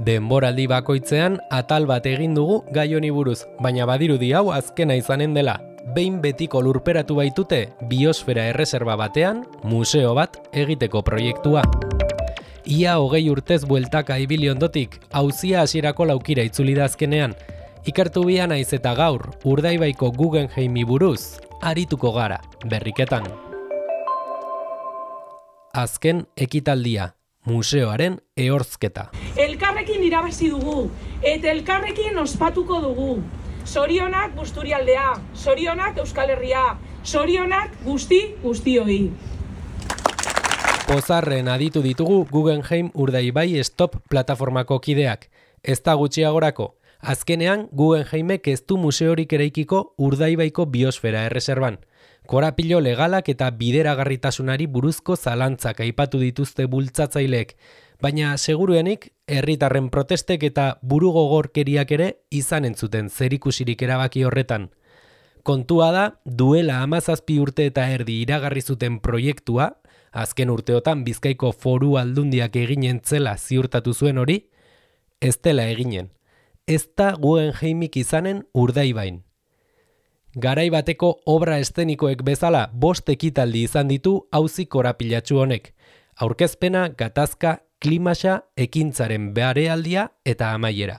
Denboraldi bakoitzean atal bat egin dugu gai honi buruz, baina badirudi hau azkena izanen dela. Behin betiko lurperatu baitute biosfera erreserba batean museo bat egiteko proiektua. Ia 20 urtez bueltaka ibili ondotik, auzia hasierako laukira itzuli da azkenean. Ikertu bia naiz eta gaur, Urdaibaiko Guggenheimi buruz, arituko gara, berriketan. Azken ekitaldia, museoaren ehorzketa. Elkarrekin irabazi dugu, eta elkarrekin ospatuko dugu. Zorionak Busturialdea, zorionak Euskal Herria, zorionak guztioi. Pozarren aditu ditugu Guggenheim Urdaibai Stop plataformako kideak. Ez da gutxiagorako, azkenean Guggenheimek ez du museorik eraikiko Urdaibaiko biosfera erreserban. Korapilo legalak eta bideragarritasunari buruzko zalantzak aipatu dituzte bultzatzaileek, baina seguruenik herritarren protestek eta burugogorkeriak ere izan entzuten zerikusirik erabaki horretan. Kontua da, duela 17 urte eta erdi iragarri zuten proiektua, azken urteotan Bizkaiko Foru Aldundiak eginen zela ziurtatu zuen hori, ez dela eginen. Ez da Guggenheimik izanen Urdaibain. Garai bateko obra eszenikoek bezala 5 ekitaldi izan ditu auzi korapilatsu honek. Aurkezpena, gatazka, klimaxa, ekintzaren beharealdia eta amaiera.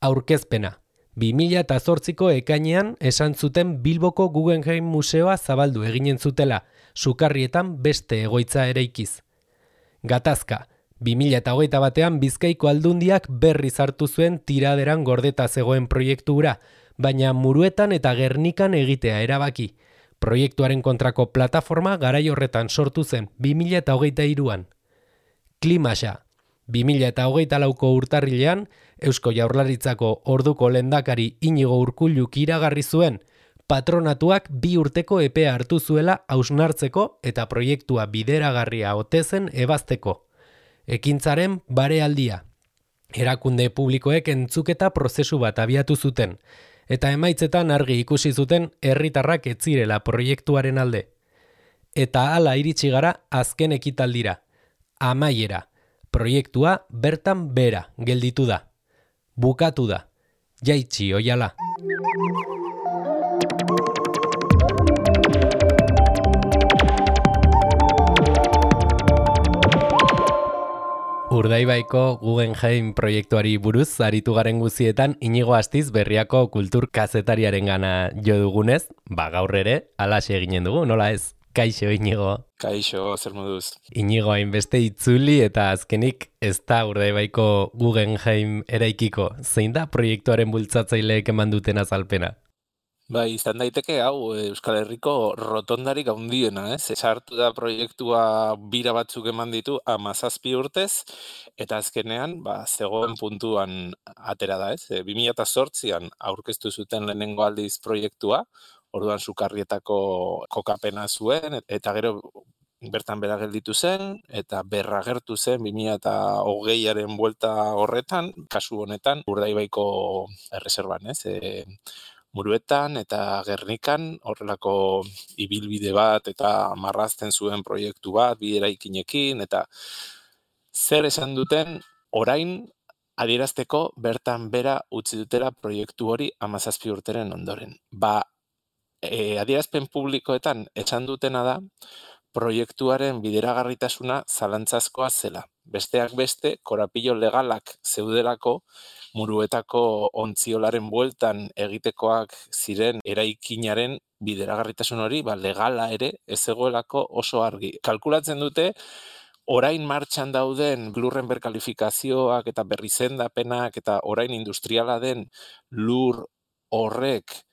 Aurkezpena. 2008ko ekainean esan zuten Bilboko Guggenheim Museoa zabaldu eginen zutela, Sukarrietan beste egoitza eraikiz. Gatazka. 2021ean Bizkaiko Aldundiak berriz hartu zuen tiraderan gordeta zegoen proiektura, baina Muruetan eta Gernikan egitea erabaki. Proiektuaren kontrako plataforma garai horretan sortu zen 2023an. Klimaxa. 2024ko urtarrilean, Eusko Jaurlaritzako orduko lehendakari Inigo Urkulluk iragarri zuen, patronatuak 2 urteko epea hartu zuela hausnartzeko eta proiektua bideragarria ote zen ebazteko. Ekintzaren barealdia. Erakunde publikoek entzuketa prozesu bat abiatu zuten, eta emaitzetan argi ikusi zuten herritarrak ez zirela proiektuaren alde. Eta hala iritsi gara azken ekitaldira. Amaiera. Proiektua bertan bera gelditu da. Bukatu da. Jaitsi oiala. Urdaibaiko Guggenheim proiektuari buruz aritu garen guzietan Inigo Astiz Berriako kultur kazetariaren gana jo dugunez, gaur ere, alaxe eginen dugu, nola ez? Kaixo, Inigo. Kaixo, zer moduz. Inigo hainbeste itzuli eta azkenik ez da Urdaibaiko Guggenheim eraikiko. Zein da proiektuaren bultzatzaileek eman duten azalpena? Izan daiteke hau Euskal Herriko rotondarik handiena, ez? Sartu da proiektua bira batzuk eman ditu 17 urtez, eta azkenean zegoen puntuan atera da, ez? 2008an aurkeztu zuten lehenengo aldiz proiektua, orduan Sukarrietako kokapena zuen, eta gero bertan bera gelditu zen, eta berragertu zen 2020aren buelta horretan, kasu honetan Urdaibaiko erreserban, ez? Muruetan eta Gernikan horrelako ibilbide bat eta marrazten zuen proiektu bat, bi eraikinekin, eta zer esan duten orain adierazteko bertan bera utzi dutela proiektu hori 17 urteren ondoren. Adierazpen publikoetan esan dutena da proiektuaren bideragarritasuna zalantzazkoa zela. Besteak beste, korapilo legalak zeudelako Muruetako ontziolaren bueltan egitekoak ziren eraikinaren bideragarritasun hori, legala ere ez zegoelako oso argi. Kalkulatzen dute, orain martxan dauden lurren berkalifikazioak eta berrizendapenak eta orain industriala den lur horrek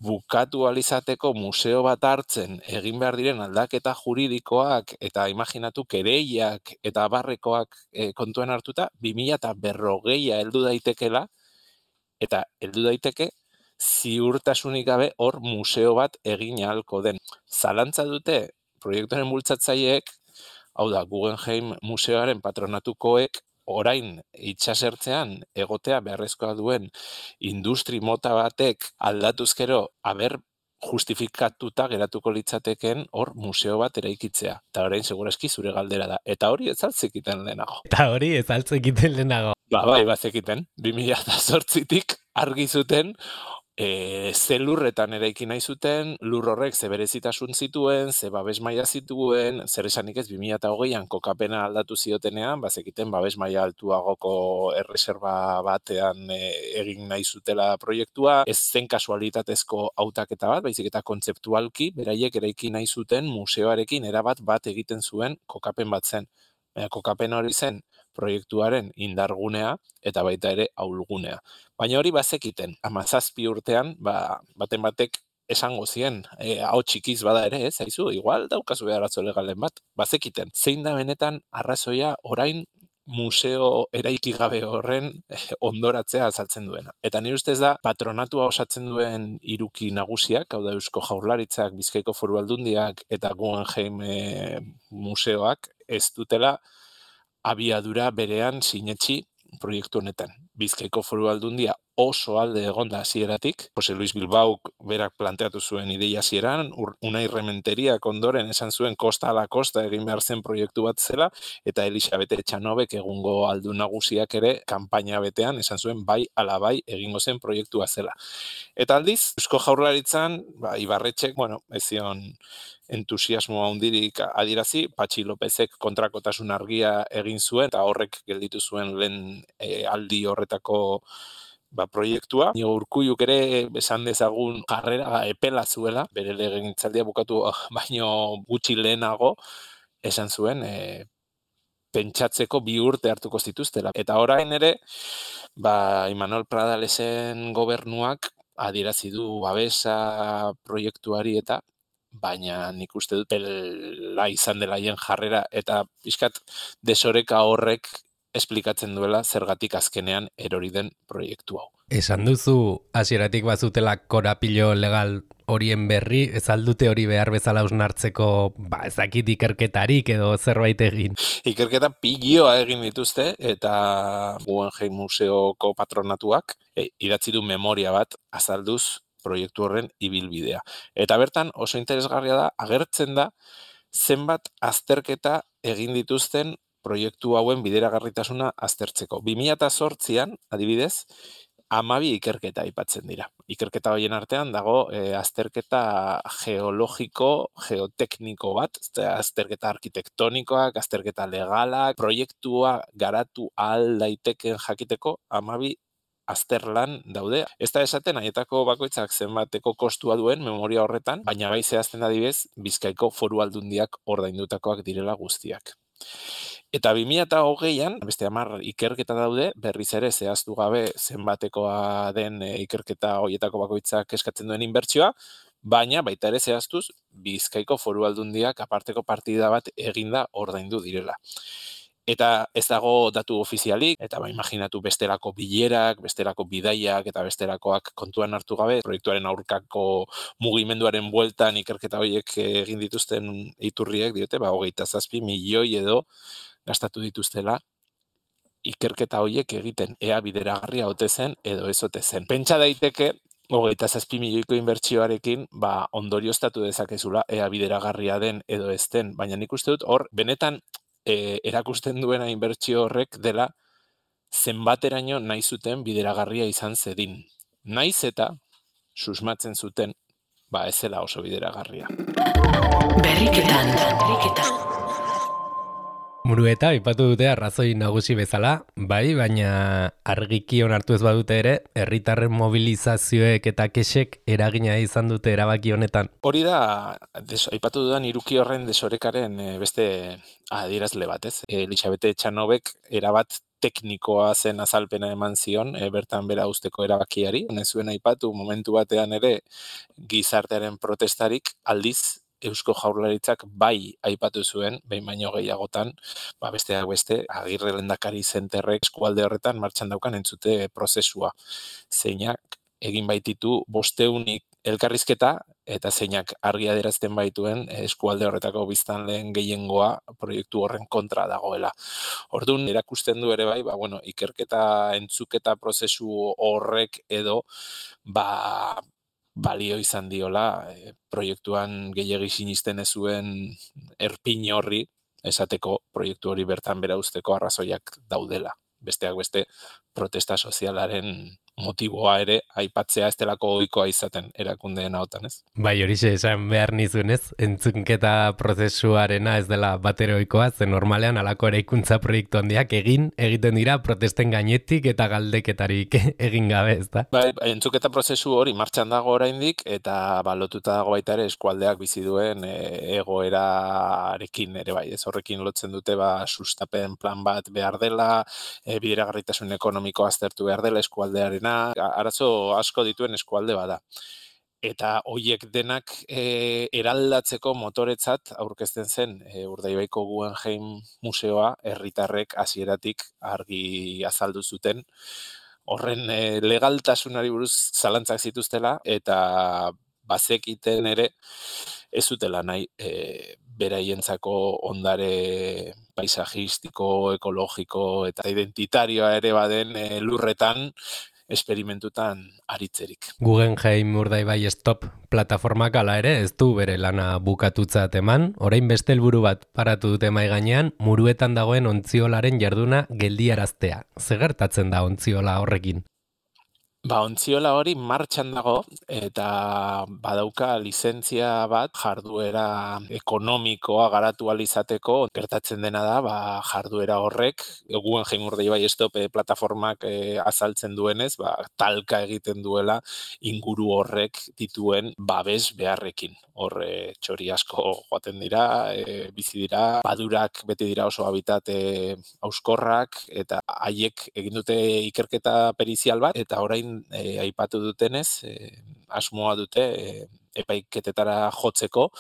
bukatu alizateko museo bat hartzen egin behar diren aldaketa juridikoak eta imaginatu kereiak eta abarrekoak kontuan hartuta 2040a heldu daitekela eta heldu daiteke ziurtasunik gabe hor museo bat egin ahalko den. Zalantza dute proiektuaren bultzatzaileek, hau da Guggenheim museoaren patronatukoek orain itsasertzean egotea beharrezkoa duen industri mota batek aldatuzkero justifikatuta geratuko litzateken hor museo bat eraikitzea. Eta orain segurazki zure galdera da. Eta hori ez altzekiten lehenago. Eta hori ez altzekiten lehenago. Bai, bazekiten. 2008tik argi zuten ze lurretan eraiki nahi zuten, lur horrek ze berezitasun zituen, ze babes maila zituen, zer esanik ez 2008an kokapena aldatu ziotenean, bazekiten babes maila altuagoko erreserba batean egin nahi zutela proiektua, ez zen kasualitatezko hautaketa bat, baizik eta kontzeptualki, beraiek eraiki nahi zuten museoarekin erabat bat egiten zuen kokapen bat zen. Kokapena hori zen proiektuaren indargunea eta baita ere ahulgunea. Baina hori bazekiten, 17 urtean, baten batek esango zien, hau txikiz bada ere, ez, haizu, igual daukazu arazo legalen bat, bazekiten. Zein da benetan arrazoia orain museo eraiki gabe horren ondoratzea azaltzen duena. Eta nire ustez da, patronatua osatzen duen hiruki nagusiak, hau da Eusko Jaurlaritzak, Bizkaiko Foru Aldundiak eta Guggenheim museoak ez dutela abiadura berean sinetsi proiektu honetan. Bizkaiko Foru Aldundia oso alde egonda hasieratik, Jose Luis Bilbaok berak planteatu zuen ideia hasieran, Unai Rementeriak ondoren esan zuen kosta ala kosta egin behar zen proiektu bat zela, eta Elisabete Etxanobek egungo aldun nagusiak ere kanpaina betean esan zuen bai ala bai egingo zen proiektua zela. Eta aldiz, Eusko Jaurlaritzan, Ibarretxek, ez zion entusiasmo handirik adierazi, Patxi Lopezek kontrakotasun argia egin zuen, eta horrek gelditu zuen lehen aldi horretako proiektua. Urkulluk ere esan dezagun jarrera epela zuela, bere legegintzaldia bukatu baino gutxi lehenago esan zuen pentsatzeko 2 urte hartuko zituztela. Eta orain ere, Imanol Pradalesen gobernuak adierazi du babesa proiektuari eta baina nik uste dut pela izan dela hien jarrera eta pixkat desoreka horrek esplikatzen duela zergatik azkenean erori den proiektu hau. Esan duzu hasieratik bazutela korapilo legal horien berri, ez aldute hori behar bezala hausnartzeko, ezakit ikerketarik edo zerbait egin. Ikerketa pilloa egin dituzte eta Guggenheim Museoko patronatuak idatzi du memoria bat azalduz proiektu horren ibilbidea. Eta bertan oso interesgarria da, agertzen da zenbat azterketa egin dituzten proiektu hauen bideragarritasuna aztertzeko. 2008an, adibidez, 12 ikerketa aipatzen dira. Ikerketa horien artean dago azterketa geologiko, geotekniko bat, azterketa arkitektonikoak, azterketa legalak, proiektua garatu ahal daiteken jakiteko 12 azterlan daude. Ez da esaten haietako bakoitzak zenbateko kostua duen memoria horretan, baina gai zehazten adibidez Bizkaiko Foru Aldundiak ordaindutakoak direla guztiak. Eta 2008an, beste 10 ikerketa daude, berriz ere zehaztu gabe zenbatekoa den ikerketa horietako bakoitzak eskatzen duen inbertsioa, baina baita ere zehaztuz Bizkaiko Foru Aldundiak aparteko partida bat eginda ordaindu direla. Eta ez dago datu ofizialik, eta imaginatu bestelako bilerak, bestelako bidaiak eta bestelakoak kontuan hartu gabe, proiektuaren aurkako mugimenduaren bueltan ikerketa horiek egin dituzten iturriek diote, 27 milioi edo gastatu dituztela ikerketa horiek egiten, ea bideragarria ote zen edo ez ote zen. Pentsa daiteke 27 milioiko inbertsioarekin ondorioztatu dezakezula ea bideragarria den edo ez den, baina nik uste dut hor benetan erakusten duena inbertsio horrek dela zenbateraino nahi zuten bideragarria izan zedin. Naiz eta susmatzen zuten ez zela oso bideragarria. Berriketan. Murueta, aipatu dute arrazoi nagusi bezala, baina argiki onartu ez badute ere, herritarren mobilizazioek eta kexek eragina izan dute erabaki honetan. Hori da, aipatu dudan hiruki horren desorekaren beste adierazle bat, ez? Elisabete Etxanobek erabat teknikoa zen azalpena eman zion, bertan bera usteko erabakiari. Ez zuen aipatu momentu batean ere gizartearen protestarik aldiz, Eusko Jaurlaritzak bai aipatu zuen, behin baino gehiagotan, besteak beste, Agirre lehendakari zenterrek eskualde horretan martxan daukan entzute prozesua. Zeinak egin baititu 500 elkarrizketa eta zeinak argi adierazten baituen eskualde horretako biztanleen gehiengoa proiektu horren kontra dagoela. Orduan erakusten du ere bai, ikerketa entzuketa prozesu horrek edo balio izan diola proiektuan gehiegi sinisten ez zuen erpin horri esateko proiektu hori bertan bera usteko arrazoiak daudela. Besteak beste protesta sozialaren motiboa ere aipatzea ez delako ohikoa izaten erakundeen ahotan, ez? Bai, horixe esan behar nizunez, entzunketa prozesuarena ez dela bateroikoa, ze normalean alako eraikuntza proiektu handiak egiten dira protesten gainetik eta galdeketarik egin gabe, ez da? Bai, entzuketa prozesu hori martxan dago oraindik eta lotuta dago baita ere eskualdeak bizi duen egoerarekin ere bai, ez horrekin lotzen dute sustapen plan bat behar dela, bideragarritasun ekonomikoa aztertu behar dela eskualdearena, arazo asko dituen eskualde bada. Eta hoiek denak eraldatzeko motoretzat aurkezten zen Urdaibaiko Guggenheim museoa herritarrek hasieratik argi azaldu zuten. Horren legaltasunari buruz zalantzak zituztela eta bazekiten ere ez zutela nahi beraientzako ondare paisajistiko, ekologiko eta identitarioa ere baden lurretan esperimentutan aritzerik. Guggenheim Urdaibai Stop plataformak ala ere ez du bere lana bukatutzat eman, orain beste helburu bat paratu dute mahai gainean, Muruetan dagoen ontziolaren jarduna geldiaraztea. Ze gertatzen da ontziola horrekin? Ontziola hori martxan dago eta badauka lizentzia bat jarduera ekonomikoa garatu ahal izateko. Gertatzen dena da, jarduera horrek, Guggenheim Urdaibai Stop plataformak azaltzen duenez, talka egiten duela inguru horrek dituen babes beharrekin. Hor txori asko joaten dira, bizi dira, padurak beti dira oso habitat hauskorrak eta haiek egin dute ikerketa perizial bat eta orain aipatu dutenez, asmoa dute epaiketetara jotzeko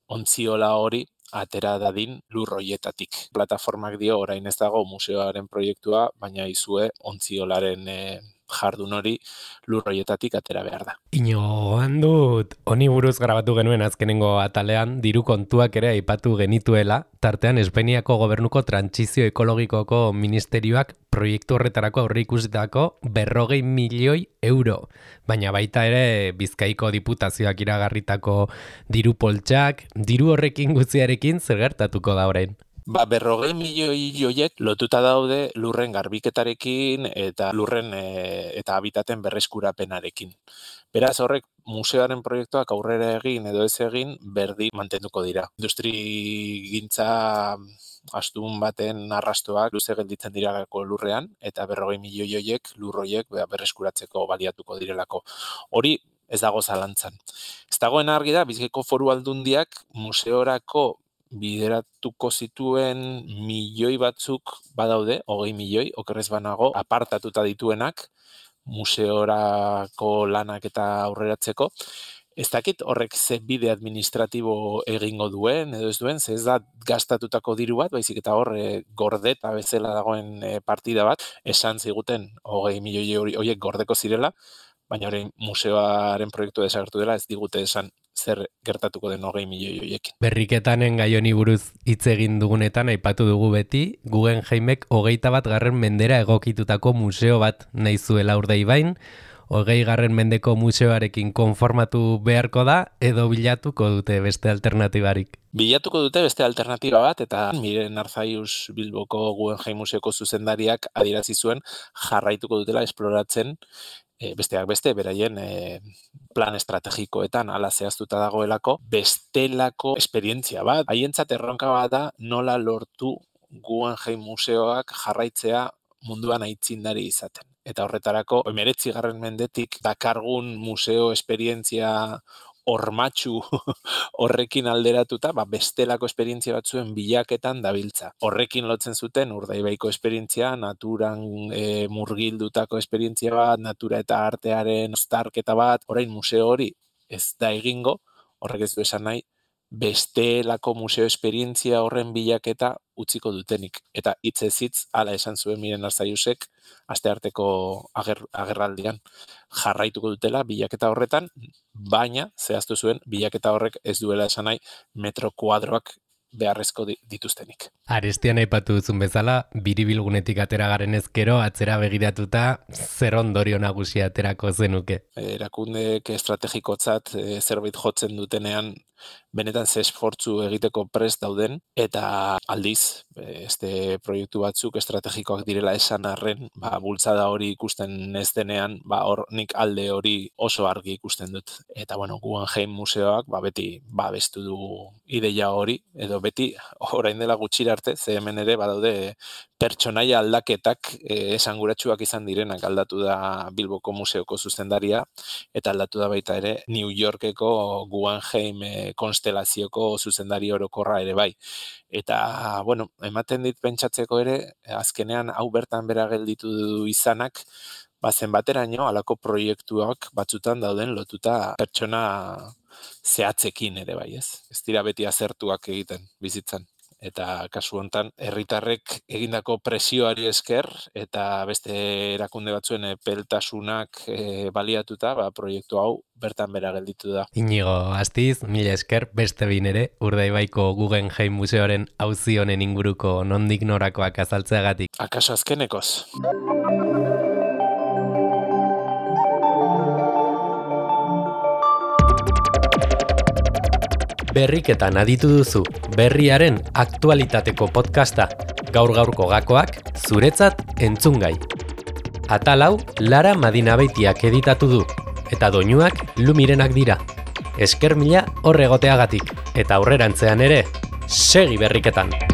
ontziola hori atera dadin lur hoietatik. Plataformak dio orain ez dago museoaren proiektua, baina izue ontziolaren jardun hori lur hoietatik atera behar da. Inoan dut, honi buruz grabatu genuen azkenengo atalean, diru kontuak ere aipatu genituela, tartean Espainiako gobernuko trantsizio ekologikoko ministerioak proiektu horretarako aurreikusitako 40 milioi euro. Baina baita ere Bizkaiko diputazioak iragarritako diru poltsak, diru horrekin guztiarekin zer gertatuko da orain? 40 milioi joiek lotuta daude lurren garbiketarekin eta lurren eta habitaten berreskurapenarekin. Beraz horrek museoaren proiektuak aurrera egin edo ez egin berdin mantenduko dira. Industrigintza astun baten arrastoak luze gelditzen direlako lurrean eta 40 milioi joiek lur hoiek berreskuratzeko baliatuko direlako. Hori ez dago zalantzan. Ez dagoen argi da Bizkaiko Foru Aldundiak museorako bideratuko zituen milioi batzuk badaude, 20 milioi, okerrez banago, apartatuta dituenak, museorako lanak eta aurreratzeko. Ez dakit horrek ze bide administratibo egingo duen, edo ez duen, ze ez da gastatutako diru bat, baizik eta hor gordeta bezala dagoen partida bat, esan ziguten 20 milioi horiek gordeko zirela, baina orain museoaren proiektu desagertu dela, ez digute esan zer gertatuko den 20 milioi horiekin. Berriketanen gai honi buruz hitz egin dugunetan aipatu dugu beti, Guggenheimek 21. mendera egokitutako museo bat nahi zuela Urdaibain, 20. mendeko museoarekin konformatu beharko da edo bilatuko dute beste alternatibarik? Bilatuko dute beste alternatiba bat eta Miren Arzaius Bilboko Guggenheim Museoko zuzendariak adierazi zuen jarraituko dutela esploratzen besteak beste, beraien plan estrategikoetan ala zehaztuta dagoelako, bestelako esperientzia bat. Haientzat erronka bat da nola lortu Guggenheim museoak jarraitzea munduan aitzindari izaten. Eta horretarako, 19. mendetik dakargun museo esperientzia hormatxu horrekin alderatuta, bestelako esperientzia batzuen bilaketan dabiltza. Horrekin lotzen zuten Urdaibaiko esperientzia, naturan murgildutako esperientzia bat, natura eta artearen uztarketa bat, orain museo hori ez da egingo, horrek ez du esan nahi, bestelako museo esperientzia horren bilaketa utziko dutenik. Eta hitzez hitz hala esan zuen Miren Arzaiusek astearteko agerraldian jarraituko dutela bilaketa horretan, baina zehaztu zuen bilaketa horrek ez duela esan nahi metro kuadroak beharrezko dituztenik. Arestian aipatu duzun bezala, biribilgunetik atera garen ezkero, atzera begiratuta, zer ondorio nagusia aterako zenuke? Erakundeek estrategikotzat zerbait jotzen dutenean, benetan ze esfortzu egiteko prest dauden, eta aldiz, este proiektu batzuk estrategikoak direla esan arren, bultzada hori ikusten ez denean, hor nik alde hori oso argi ikusten dut. Eta Guggenheim museoak beti babestu du ideia hori, edo beti orain dela gutxira arte, ze hemen ere badaude pertsonaia aldaketak esanguratsuak izan direnak. Aldatu da Bilboko museoko zuzendaria, eta aldatu da baita ere New Yorkeko Guggenheim konstelazioko zuzendari orokorra ere bai. Eta, ematen dit pentsatzeko ere, azkenean hau bertan bera gelditu izanak, zenbateraino halako proiektuak batzutan dauden lotuta pertsona zehatzekin ere bai, ez? Ez dira beti azertuak egiten bizitzan. Eta kasu hontan herritarrek egindako presioari esker eta beste erakunde batzuen epeltasunak baliatuta, proiektu hau bertan bera gelditu da. Inigo Astiz, mila esker, beste behin ere, Urdaibaiko Guggenheim museoaren auzi honen inguruko nondik norakoak azaltzeagatik. Akaso azkenekoz. Berriketan aditu duzu, berriaren aktualitateko podcasta, gaur-gaurko gakoak, zuretzat entzungai. Atal hau, Lara Madinabeitiak editatu du, eta doinuak Lumirenak dira. Esker mila horregoteagatik, eta aurrerantzean ere, segi berriketan!